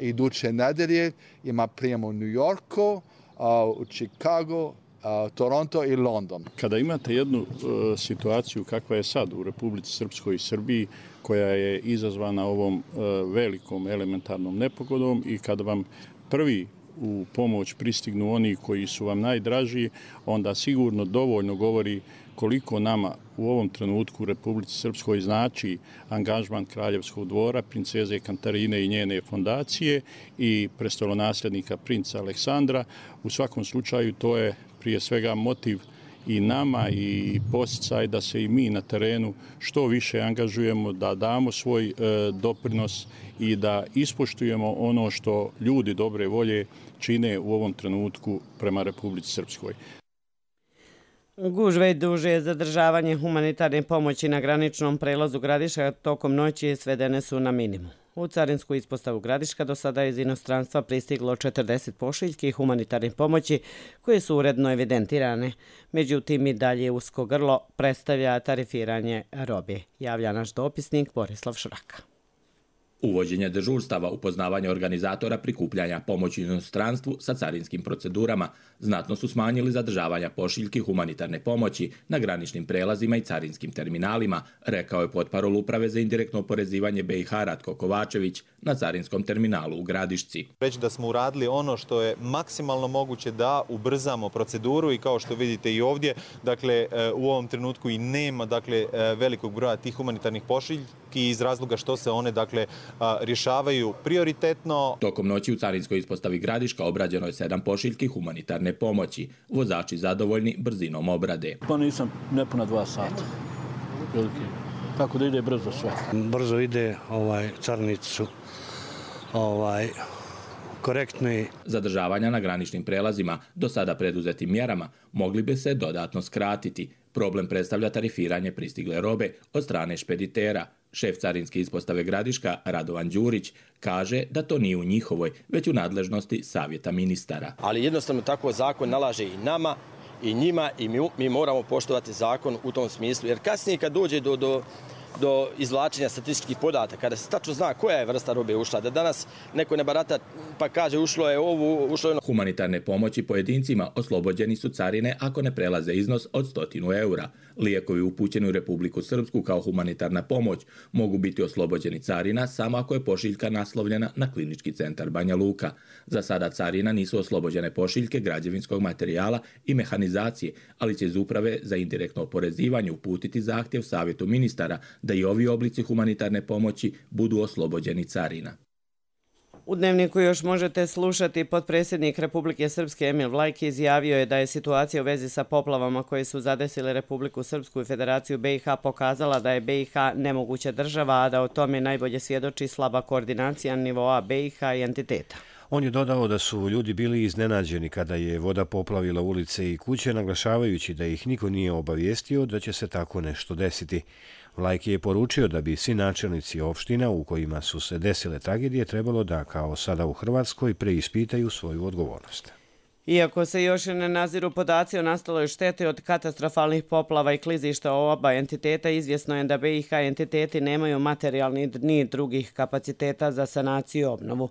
iduće nedelje, ima prijem u New Yorku, u Chicago, Toronto i London. Kada imate jednu situaciju kakva je sad u Republici Srpskoj i Srbiji, koja je izazvana ovom velikom elementarnom nepogodom i kada vam prvi u pomoć pristignu oni koji su vam najdraži, onda sigurno dovoljno govori koliko nama u ovom trenutku u Republici Srpskoj znači angažman Kraljevskog dvora, princeze Katarine i njene fondacije i prestolonasljednika princa Aleksandra. U svakom slučaju to je prije svega motiv i nama i podsticaj da se i mi na terenu što više angažujemo, da damo svoj doprinos i da ispoštujemo ono što ljudi dobre volje čine u ovom trenutku prema Republici Srpskoj. Gužve i duže zadržavanje humanitarne pomoći na graničnom prelazu Gradiška tokom noći svedene su na minimum. U carinsku ispostavu Gradiška do sada je iz inostranstva pristiglo 40 pošiljki humanitarne pomoći koje su uredno evidentirane. Međutim, i dalje usko grlo predstavlja tarifiranje robe, javlja naš dopisnik Borislav Šraka. Uvođenje dežurstava, upoznavanje organizatora prikupljanja pomoći inostranstvu sa carinskim procedurama znatno su smanjili zadržavanja pošiljki humanitarne pomoći na graničnim prelazima i carinskim terminalima, rekao je potparol Uprave za indirektno oporezivanje BiH Ratko Kovačević na carinskom terminalu u Gradišci. Reći da smo uradili ono što je maksimalno moguće da ubrzamo proceduru i kao što vidite i ovdje, dakle u ovom trenutku i nema velikog broja tih humanitarnih pošiljki iz razloga što se one rješavaju prioritetno. Tokom noći u carinskoj ispostavi Gradiška obrađeno je 7 pošiljki humanitarne pomoći. Vozači zadovoljni brzinom obrade. Pa nisam nepuna 2 sata. Tako da ide brzo sve. Brzo ide, carinici su korektni. Zadržavanja na graničnim prelazima do sada preduzetim mjerama mogli bi se dodatno skratiti. Problem predstavlja tarifiranje pristigle robe od strane špeditera. Šef carinske ispostave Gradiška, Radovan Đurić, kaže da to nije u njihovoj, već u nadležnosti savjeta ministara. Ali jednostavno tako zakon nalaže i nama, i njima, i mi moramo poštovati zakon u tom smislu. Jer kasnije kad dođe do izvlačenja statističkih podataka, kada se tačno zna koja je vrsta robe ušla, da danas neko ne barata pa kaže ušlo je ovo, ušlo je ono. Humanitarne pomoći pojedincima oslobođeni su carine ako ne prelaze iznos od 100 eura. Lijekovi upućeni u Republiku Srpsku kao humanitarna pomoć mogu biti oslobođeni carina samo ako je pošiljka naslovljena na Klinički centar Banja Luka. Za sada carina nisu oslobođene pošiljke građevinskog materijala i mehanizacije, ali će iz Uprave za indirektno oporezivanje uputiti zahtjev savjetu ministara da i ovi oblici humanitarne pomoći budu oslobođeni carina. U Dnevniku još možete slušati potpredsjednik Republike Srpske Emil Vlajki izjavio je da je situacija u vezi sa poplavama koje su zadesile Republiku Srpsku i Federaciju BiH pokazala da je BiH nemoguća država, a da o tome najbolje svjedoči slaba koordinacija nivoa BiH i entiteta. On je dodao da su ljudi bili iznenađeni kada je voda poplavila ulice i kuće, naglašavajući da ih niko nije obavijestio da će se tako nešto desiti. Vlajki je poručio da bi svi načelnici opština u kojima su se desile tragedije trebalo da, kao sada u Hrvatskoj, preispitaju svoju odgovornost. Iako se još ne naziru podaci o nastaloj šteti od katastrofalnih poplava i klizišta oba entiteta, izvjesno je da BiH entiteti nemaju materijalni ni drugih kapaciteta za sanaciju i obnovu.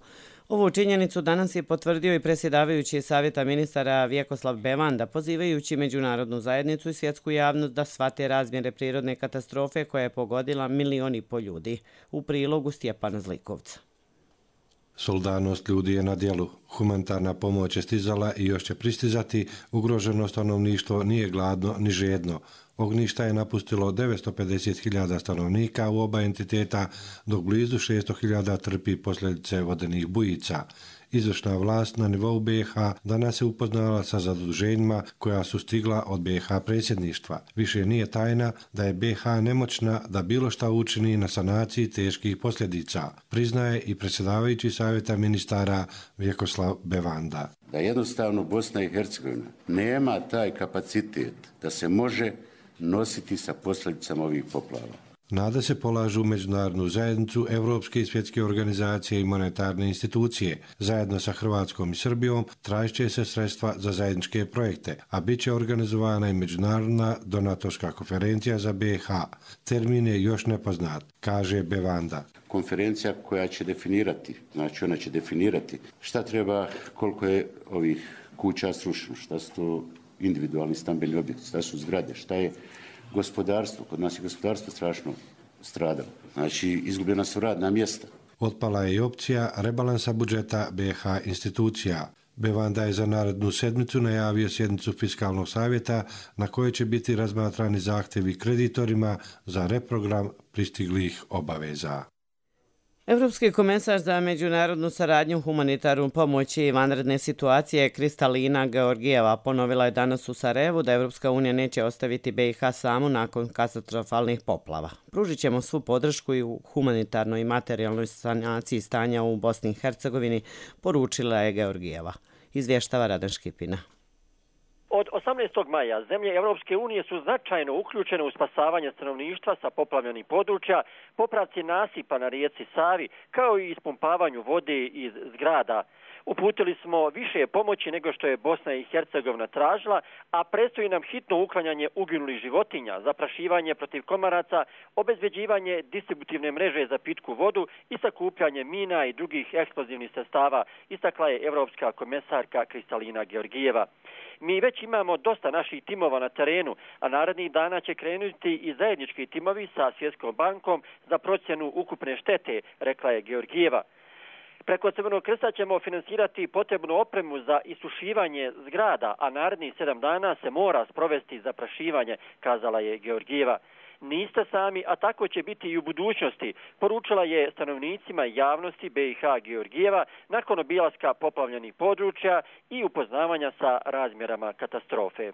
Ovu činjenicu danas je potvrdio i predsjedavajući Savjeta ministara Vjekoslav Bevanda, pozivajući međunarodnu zajednicu i svjetsku javnost da shvate razmjere prirodne katastrofe koja je pogodila 1,5 miliona ljudi. U prilogu Stjepana Zlikovca. Solidarnost ljudi je na djelu. Humanitarna pomoć je stizala i još će pristizati. Ugroženo stanovništvo nije gladno ni žedno. Ognjišta je napustilo 950.000 stanovnika u oba entiteta, dok blizu 600.000 trpi posljedice vodenih bujica. Izvršna vlast na nivou BiH danas je upoznala sa zaduženjima koja su stigla od BiH predsjedništva. Više nije tajna da je BiH nemoćna da bilo šta učini na sanaciji teških posljedica, priznaje i predsjedavajući Savjeta ministara Vjekoslav Bevanda. Da jednostavno Bosna i Hercegovina nema taj kapacitet da se može nositi sa posljedicama ovih poplava. Nade se polažu u međunarodnu zajednicu, evropske i svjetske organizacije i monetarne institucije. Zajedno sa Hrvatskom i Srbijom tražit će se sredstva za zajedničke projekte, a bit će organizovana i međunarodna donatorska konferencija za BiH. Termin je još nepoznat, kaže Bevanda. Konferencija koja će definirati, znači ona će definirati šta treba, koliko je ovih kuća srušeno, šta su to individualni stambeni objekti, šta su zgrade, šta je gospodarstvo. Kod nas je gospodarstvo strašno stradalo. Znači, izgubljena su radna mjesta. Otpala je i opcija rebalansa budžeta BiH institucija. Bevanda je za narednu sedmicu najavio sjednicu Fiskalnog savjeta na kojoj će biti razmatrani zahtjevi kreditorima za reprogram pristiglih obaveza. Evropski komesar za međunarodnu saradnju, humanitarnu pomoć i vanredne situacije Kristalina Georgijeva ponovila je danas u Sarajevu da Evropska unija neće ostaviti BiH samu nakon katastrofalnih poplava. Pružit ćemo svu podršku i u humanitarnoj i materijalnoj sanaciji stanja u Bosni i Hercegovini, poručila je Georgijeva. Izvještava Radan Škipina. Od 18. maja zemlje Evropske unije su značajno uključene u spasavanje stanovništva sa poplavljenih područja, popravci nasipa na rijeci Savi, kao i ispumpavanju vode iz zgrada. Uputili smo više pomoći nego što je Bosna i Hercegovina tražila, a predstoji nam hitno uklanjanje uginulih životinja, zaprašivanje protiv komaraca, obezbeđivanje distributivne mreže za pitku vodu i sakupljanje mina i drugih eksplozivnih sredstava, istakla je evropska komesarka Kristalina Georgijeva. Mi već imamo dosta naših timova na terenu, a narednih dana će krenuti i zajednički timovi sa Svjetskom bankom za procjenu ukupne štete, rekla je Georgijeva. Preko Crvenog krsta ćemo finansirati potrebnu opremu za isušivanje zgrada, a narednih 7 dana se mora sprovesti zaprašivanje, kazala je Georgijeva. Niste sami, a tako će biti i u budućnosti, poručila je stanovnicima javnosti BiH Georgijeva nakon obilaska poplavljenih područja i upoznavanja sa razmjerama katastrofe.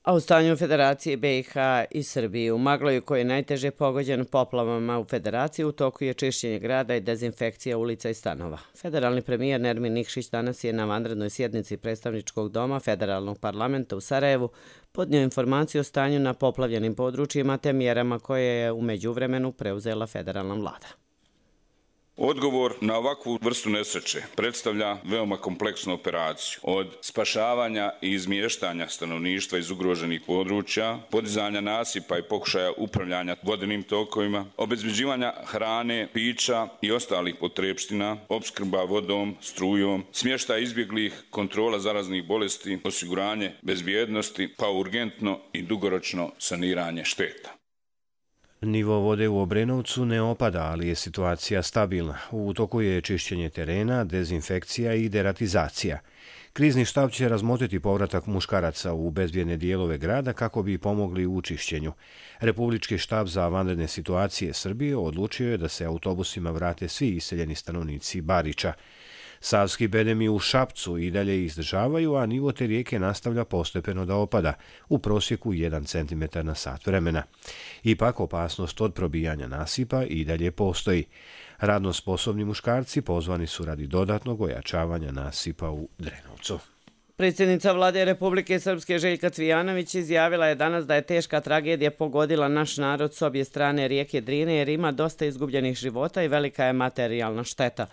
A u stanju Federacije BiH i Srbije u Magloju, koji je najteže pogođen poplavama u Federaciji, u toku je čišćenje grada i dezinfekcija ulica i stanova. Federalni premijer Nermin Nikšić danas je na vanrednoj sjednici predstavničkog doma Federalnog parlamenta u Sarajevu podnio informaciju o stanju na poplavljenim područjima te mjerama koje je u međuvremenu preuzela federalna vlada. Odgovor na ovakvu vrstu nesreće predstavlja veoma kompleksnu operaciju. Od spašavanja i izmještanja stanovništva iz ugroženih područja, podizanja nasipa i pokušaja upravljanja vodenim tokovima, obezbeđivanja hrane, pića i ostalih potrepština, opskrba vodom, strujom, smještaj izbjeglih, kontrola zaraznih bolesti, osiguranje bezbjednosti, pa urgentno i dugoročno saniranje šteta. Nivo vode u Obrenovcu ne opada, ali je situacija stabilna. U toku je čišćenje terena, dezinfekcija i deratizacija. Krizni štab će razmotriti povratak muškaraca u bezbjedne dijelove grada kako bi pomogli u čišćenju. Republički štab za vanredne situacije Srbije odlučio je da se autobusima vrate svi iseljeni stanovnici Bariča. Savski bedemi u Šapcu i dalje izdržavaju, a nivo te rijeke nastavlja postepeno da opada, u prosjeku 1 cm na sat vremena. Ipak opasnost od probijanja nasipa i dalje postoji. Radno sposobni muškarci pozvani su radi dodatnog ojačavanja nasipa u Drenovcu. Predsjednica Vlade Republike Srpske Željka Cvijanović izjavila je danas da je teška tragedija pogodila naš narod s obje strane rijeke Drine jer ima dosta izgubljenih života i velika je materijalna šteta.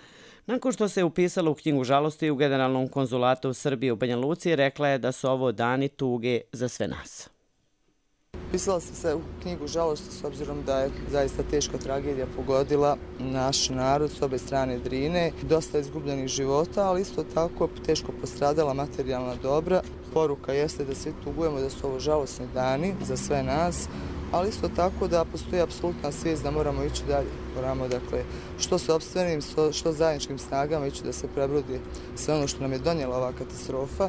Nakon što se upisala u knjigu žalosti u Generalnom konzulatu u Srbiji u Banja Luci, rekla je da su ovo dani tuge za sve nas. Upisala sam se u knjigu žalosti s obzirom da je zaista teška tragedija pogodila naš narod s obje strane Drine. Dosta izgubljenih života, ali isto tako teško postradala materijalna dobra. Poruka jeste da svi tugujemo da su ovo žalosni dani za sve nas, ali isto tako da postoji apsolutna svijest da moramo ići dalje. Moramo, dakle, što sopstvenim, što zajedničkim snagama ići da se prebrodi sve ono što nam je donijela ova katastrofa,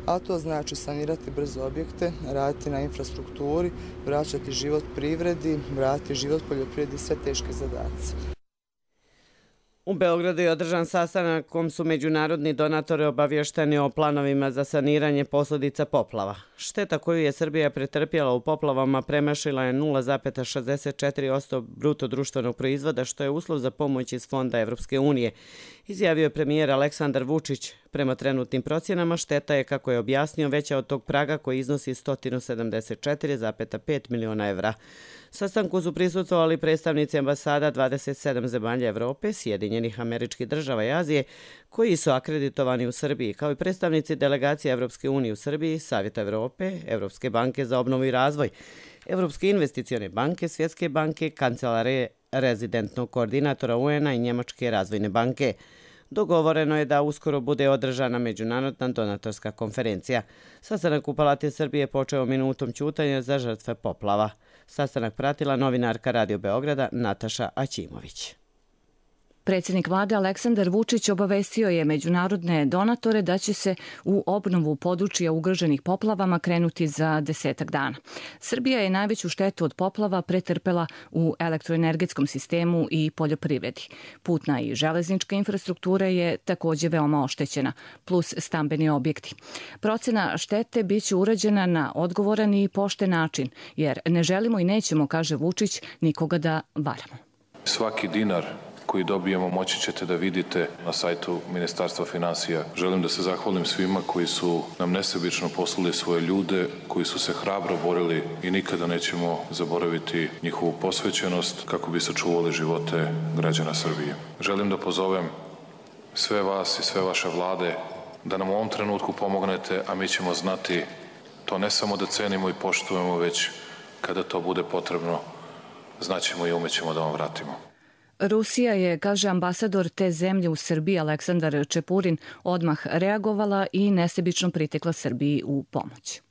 a to znači sanirati brzo objekte, raditi na infrastrukturi, vraćati život privredi, vratiti život poljoprivredi, sve teške zadaci. U Beogradu je održan sastanak kom su međunarodni donatori obavješteni o planovima za saniranje posljedica poplava. Šteta koju je Srbija pretrpjela u poplavama premašila je 0,64% bruto društvenog proizvoda, što je uslov za pomoć iz fonda Evropske unije. Izjavio je premijer Aleksandar Vučić. Prema trenutnim procjenama šteta je, kako je objasnio, veća od tog praga koji iznosi 174,5 miliona evra. Sastanku su prisustvovali predstavnici ambasada 27 zemalja Evrope, Sjedinjenih Američkih Država i Azije, koji su akreditovani u Srbiji, kao i predstavnici delegacije Evropske unije u Srbiji, Savjeta Evrope, Evropske banke za obnovu i razvoj, Evropske investicione banke, Svjetske banke, Kancelarije rezidentnog koordinatora UN-a i Njemačke razvojne banke. Dogovoreno je da uskoro bude održana međunarodna donatorska konferencija. Sastanak u Palati Srbije počeo minutom ćutanja za žrtve poplava. Sastanak pratila novinarka Radio Beograda Nataša Aćimović. Predsjednik vlade Aleksandar Vučić obavestio je međunarodne donatore da će se u obnovu područja ugroženih poplavama krenuti za 10 dana. Srbija je najveću štetu od poplava pretrpela u elektroenergetskom sistemu i poljoprivredi. Putna i železnička infrastruktura je također veoma oštećena, plus stambeni objekti. Procena štete biće urađena na odgovoran i pošten način, jer ne želimo i nećemo, kaže Vučić, nikoga da varamo. Svaki dinar koji dobijemo moći ćete da vidite na sajtu Ministarstva finansija. Želim da se zahvalim svima koji su nam nesebično poslali svoje ljude, koji su se hrabro borili i nikada nećemo zaboraviti njihovu posvećenost kako bi sačuvali živote građana Srbije. Želim da pozovem sve vas i sve vaše vlade da nam u ovom trenutku pomognete, a mi ćemo znati to ne samo da cenimo i poštujemo, već kada to bude potrebno, znaćemo i umećemo da vam vratimo. Rusija je, kaže ambasador te zemlje u Srbiji Aleksandar Čepurin, odmah reagovala i nesebično pritekla Srbiji u pomoć.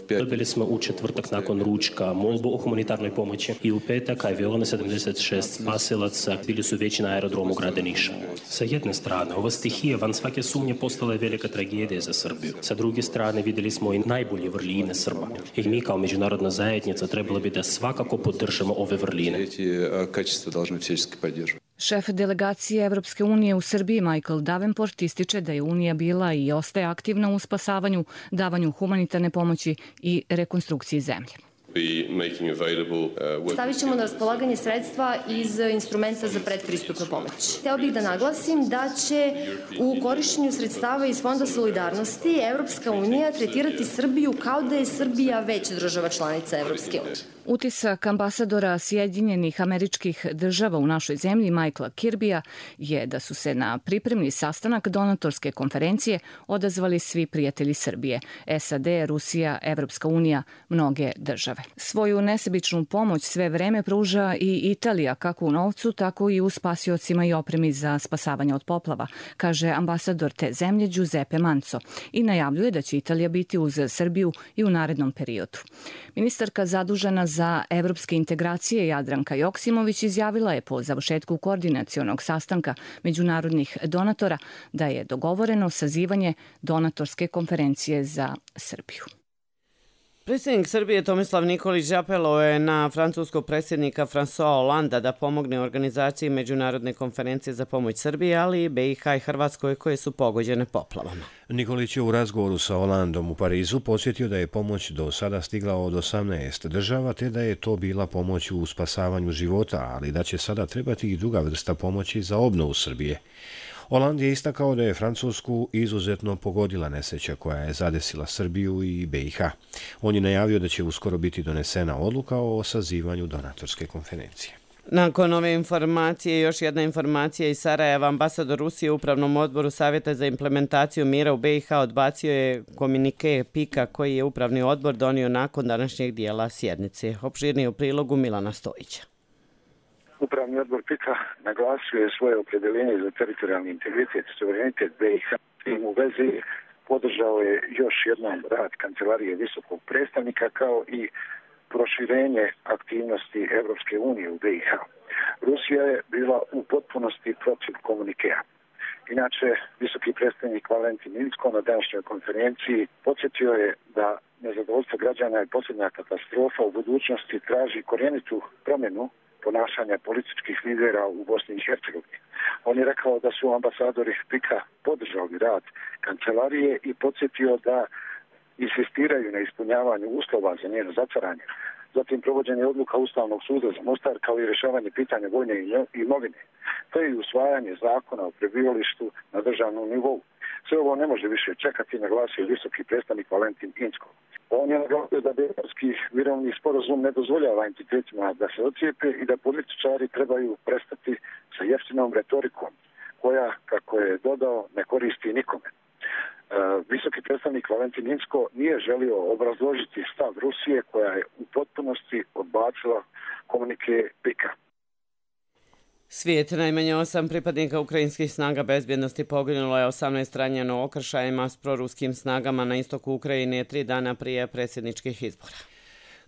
Dobili smo u četvrtak nakon ručka molbu o humanitarnoj pomoći i u petak je bilo na 76 spasilaca, bili su već na aerodromu grada Niša. Sa jedne strane, ova stihija van svake sumnje postala je velika tragedija za Srbiju. Sa druge strane, vidjeli smo i najbolje vrline Srba. I mi kao međunarodna zajednica trebalo bi da svakako podržamo ove vrline. Šef delegacije Evropske unije u Srbiji Michael Davenport ističe da je Unija bila i ostaje aktivna u spasavanju, davanju humanitarne pomoći i rekonstrukciji zemlje. Stavit ćemo na raspolaganje sredstva iz instrumenta za predpristupnu pomoć. Hteo bih da naglasim da će u korišćenju sredstava iz Fonda solidarnosti Evropska unija tretirati Srbiju kao da je Srbija već država članica Evropske unije. Utisak ambasadora Sjedinjenih Američkih Država u našoj zemlji, Michaela Kirbya, je da su se na pripremni sastanak donatorske konferencije odazvali svi prijatelji Srbije, SAD, Rusija, Evropska unija, mnoge države. Svoju nesebičnu pomoć sve vreme pruža i Italija, kako u novcu, tako i u spasiocima i opremi za spasavanje od poplava, kaže ambasador te zemlje Giuseppe Manco i najavljuje da će Italija biti uz Srbiju i u narednom periodu. Ministarka zadužena za evropske integracije Jadranka Joksimović izjavila je po završetku koordinacionog sastanka međunarodnih donatora da je dogovoreno sazivanje donatorske konferencije za Srbiju. Predsjednik Srbije Tomislav Nikolić apelao je na francuskog predsjednika François Hollanda da pomogne organizaciji međunarodne konferencije za pomoć Srbiji, ali i BiH i Hrvatskoj koje su pogođene poplavama. Nikolić je u razgovoru sa Hollandom u Parizu podsjetio da je pomoć do sada stigla od 18 država, te da je to bila pomoć u spasavanju života, ali da će sada trebati i druga vrsta pomoći za obnovu Srbije. Holand je istakao da je Francusku izuzetno pogodila nesreća koja je zadesila Srbiju i BiH. On je najavio da će uskoro biti donesena odluka o sazivanju donatorske konferencije. Nakon ove informacije, još jedna informacija iz Sarajeva. Ambasador Rusije u Upravnom odboru Savjeta za implementaciju mira u BiH odbacio je komunike PIK-a koji je Upravni odbor donio nakon današnjeg dijela sjednice. Opširnije u prilogu Milana Stojića. Upravni odbor PIK-a naglasio je svoje opredjeljenje za teritorijalni integritet i suverenitet BiH. Tim u vezi podržao je još jednom rad Kancelarije visokog predstavnika kao i proširenje aktivnosti Evropske unije u BiH. Rusija je bila u potpunosti protiv komunikea. Inače, visoki predstavnik Valentin Inzko na današnjoj konferenciji podsjetio je da nezadovoljstvo građana je posljednja katastrofa u budućnosti traži korjenitu promjenu ponašanja političkih lidera u Bosni i Hercegovini. On je rekao da su ambasadori PIK-a podržali rad kancelarije i podsjetio da insistiraju na ispunjavanju uslova za njeno zatvaranje. Zatim provođenje odluka Ustavnog suda za Mostar kao i rješavanje pitanja vojne imovine, te i usvajanje zakona o prebivalištu na državnom nivou. Sve ovo ne može više čekati, naglasio visoki predstavnik Valentin Inzko. On je naglasio da Dejtonski mirovni sporazum ne dozvoljava entitetima da se ocijepe i da političari trebaju prestati sa jeftinom retorikom koja, kako je dodao, ne koristi nikome. Visoki predstavnik Valentin Inzko nije želio obrazložiti stav Rusije koja je u potpunosti odbacila komunike PIK-a. Svijet, najmanje 8 pripadnika ukrajinskih snaga bezbjednosti poginulo je, 18 ranjeno okršajima s proruskim snagama na istoku Ukrajine 3 dana prije predsjedničkih izbora.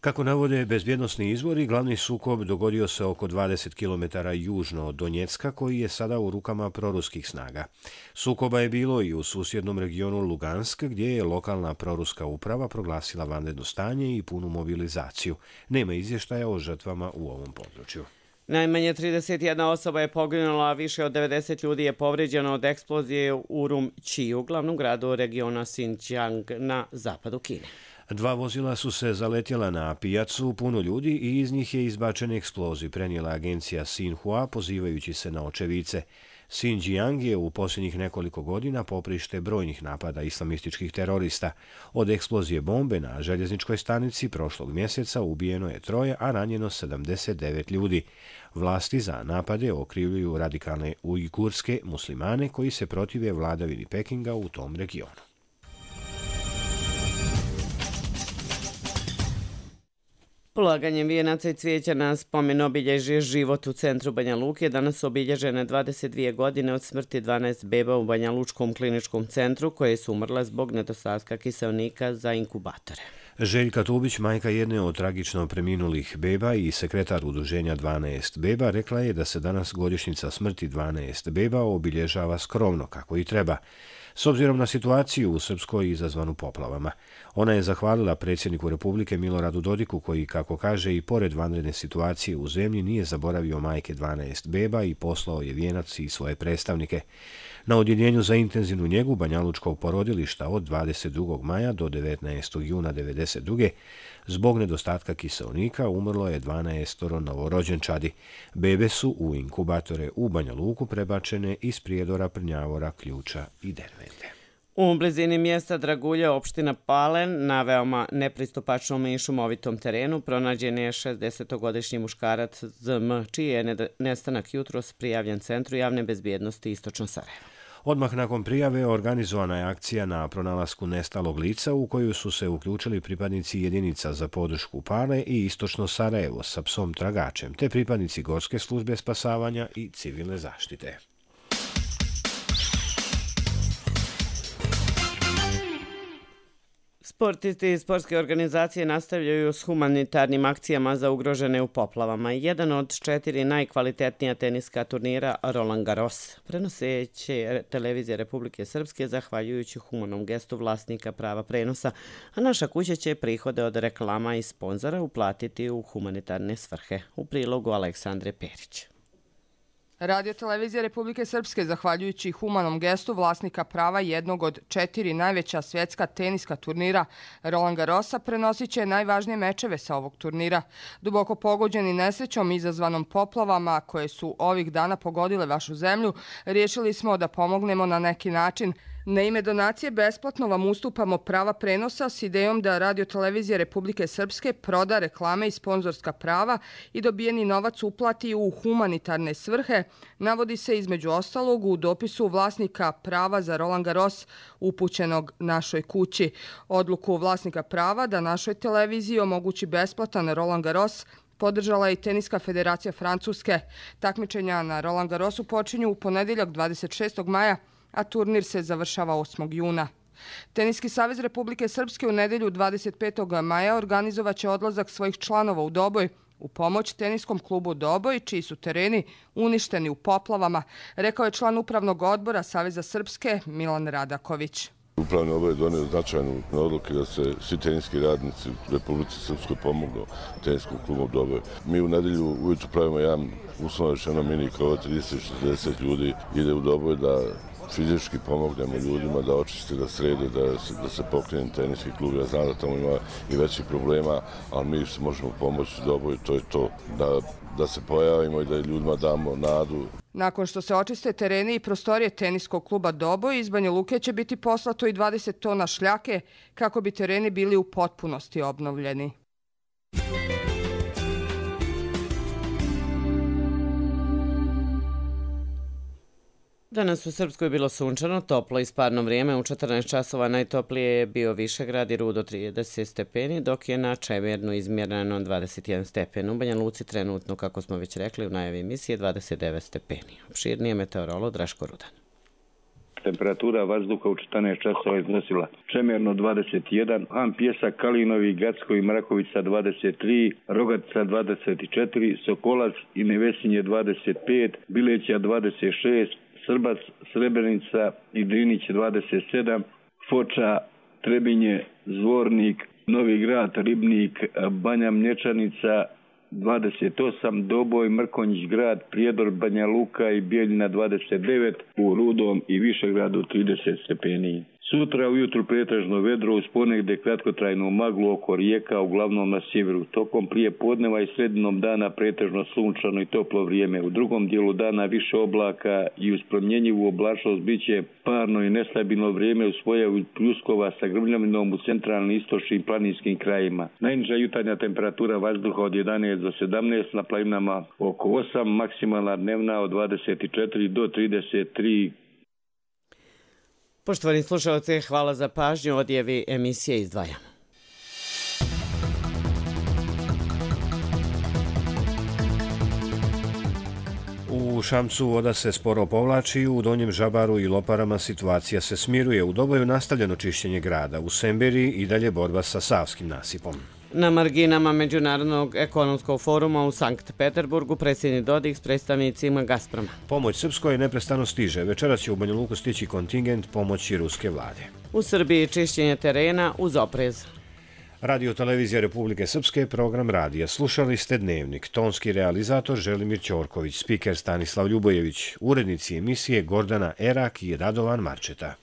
Kako navode bezbjednosni izvori, glavni sukob dogodio se oko 20 km južno od Donjecka, koji je sada u rukama proruskih snaga. Sukoba je bilo i u susjednom regionu Lugansk, gdje je lokalna proruska uprava proglasila vanredno stanje i punu mobilizaciju. Nema izvještaja o žrtvama u ovom području. Najmanje 31 osoba je poginula, a više od 90 ljudi je povrijeđeno od eksplozije u Urumqiju, glavnom gradu regiona Xinjiang na zapadu Kine. 2 vozila su se zaletjela na pijacu puno ljudi i iz njih je izbačen eksplozij, prenijela agencija Xinhua pozivajući se na očevice. Xinjiang je u posljednjih nekoliko godina poprište brojnih napada islamističkih terorista. Od eksplozije bombe na željezničkoj stanici prošlog mjeseca ubijeno je 3, a ranjeno 79 ljudi. Vlasti za napade okrivljuju radikalne ujgurske muslimane koji se protive vladavini Pekinga u tom regionu. Polaganjem vijenaca i cvijeća na spomen obilježje život u centru Banja Luke danas su obilježene 22 godine od smrti 12 beba u Banja Lučkom kliničkom centru koje su umrle zbog nedostatka kiseonika za inkubatore. Željka Tubić, majka jedne od tragično preminulih beba i sekretar udruženja 12 beba, rekla je da se danas godišnjica smrti 12 beba obilježava skromno kako i treba. S obzirom na situaciju u Srpskoj izazvanu poplavama. Ona je zahvalila predsjedniku Republike Miloradu Dodiku koji, kako kaže, i pored vanredne situacije u zemlji nije zaboravio majke 12 beba i poslao je vijenac i svoje predstavnike. Na odjeljenju za intenzivnu njegu Banjalučkog porodilišta od 22. maja do 19. juna 1992. zbog nedostatka kiseonika umrlo je 12 novorođenčadi. Bebe su u inkubatore u Banja Luku prebačene iz Prijedora, Prnjavora, Ključa i Dervente. U blizini mjesta Dragulja, opština Palen, na veoma nepristupačnom i šumovitom terenu pronađen je 60-godišnji muškarac ZM, čiji je nestanak jutros prijavljen Centru javne bezbjednosti Istočno Sarajevo. Odmah nakon prijave organizovana je akcija na pronalasku nestalog lica u koju su se uključili pripadnici jedinica za podršku Pale i Istočno Sarajevo sa psom tragačem, te pripadnici Gorske službe spasavanja i civilne zaštite. Sportisti i sportske organizacije nastavljaju s humanitarnim akcijama za ugrožene u poplavama. Jedan od 4 najkvalitetnija teniska turnira Roland Garros prenoseće televizija Republike Srpske zahvaljujući humanom gestu vlasnika prava prenosa, a naša kuća će prihode od reklama i sponzora uplatiti u humanitarne svrhe. U prilogu Aleksandre Perić. Radio televizija Republike Srpske, zahvaljujući humanom gestu vlasnika prava jednog od 4 najveća svjetska teniska turnira Roland Garrosa, prenosit će najvažnije mečeve sa ovog turnira. Duboko pogođeni nesrećom izazvanom poplavama koje su ovih dana pogodile vašu zemlju, riješili smo da pomognemo na neki način. Na ime donacije besplatno vam ustupamo prava prenosa s idejom da Radio televizija Republike Srpske proda reklame i sponzorska prava i dobijeni novac uplati u humanitarne svrhe, navodi se između ostalog u dopisu vlasnika prava za Roland Garros upućenog našoj kući. Odluku vlasnika prava da našoj televiziji omogući besplatan Roland Garros podržala je i Teniska federacija Francuske. Takmičenja na Roland Garrosu počinju u ponedjeljak 26. maja, a turnir se završava 8. juna. Teniski savez Republike Srpske u nedjelju 25. maja organizovaće odlazak svojih članova u Doboj u pomoć teniskom klubu Doboj, čiji su tereni uništeni u poplavama, rekao je član upravnog odbora Saveza Srpske Milan Radaković. Upravni odbor je donio značajnu odluku da se svi teniski radnici u Republici Srpskoj pomognu teniskom klubu Doboj. Mi u nedjelju ujutru pravimo jedan uslovno rečeno mini krov, 30-40 ljudi ide u Doboj da fizički pomognemo ljudima da očiste, da srede, da se pokrene teniski klub. Ja znam da tamo ima i većih problema, ali mi se možemo pomoći Doboju, to je to, da se pojavimo i da ljudima damo nadu. Nakon što se očiste tereni i prostorije teniskog kluba Doboj, iz Banja Luke će biti poslato i 20 tona šljake kako bi tereni bili u potpunosti obnovljeni. Danas u Srpskoj je bilo sunčano, toplo i sparno vrijeme. U 14 časova najtoplije je bio Višegrad i Rudo 30 stepeni, dok je na Čemernu izmjereno 21 stepen. U Banja Luci trenutno, kako smo već rekli u najavi emisije, 29 stepeni. Opširnije meteorolog Draško Rudan. Temperatura vazduha u 14 časova iznosila Čemerno 21, Han Pjesak, Kalinovi, Gacko i Mrakovica 23, Rogatica 24, Sokolac i Nevesinje 25, Bileća 26, Srbac, Srebrenica i Drinić 27, Foča, Trebinje, Zvornik, Novi Grad, Ribnik, Banja Mlječanica 28, Doboj, Mrkonjić grad, Prijedor, Banja Luka i Bijeljina 29, u Rudom i Višegradu 30 stepeni. Sutra ujutru pretežno vedro uz ponegdje kratkotrajnu maglu oko rijeka, uglavnom na sjeveru. Tokom prije podneva i sredinom dana pretežno sunčano i toplo vrijeme. U drugom dijelu dana više oblaka i uz promjenjivu oblačnost biće parno i nestabilno vrijeme uz pojavu pljuskova sa grmljavinom u centralnim istočnim planinskim krajima. Najniža jutarnja temperatura vazduha od 11 do 17, na planinama oko 8, maksimalna dnevna od 24 do 33. Poštovani slušalci, hvala za pažnju. Odjevi emisije izdvajamo. U Šamcu voda se sporo povlači, u Donjem Žabaru i Loparama situacija se smiruje. U Doboju nastavljeno čišćenje grada, u Semberi i dalje borba sa Savskim nasipom. Na marginama Međunarodnog ekonomskog foruma u Sankt Peterburgu predsjednik Dodik s predstavnicima Gazproma. Pomoć Srpskoj neprestano stiže. Večeras će u Banja Luku stići kontingent pomoći ruske vlade. U Srbiji čišćenje terena uz oprez. Radio televizija Republike Srpske, program radija. Slušali ste Dnevnik. Tonski realizator Želimir Ćorković, spiker Stanislav Ljubojević, urednici emisije Gordana Erak i Radovan Marčeta.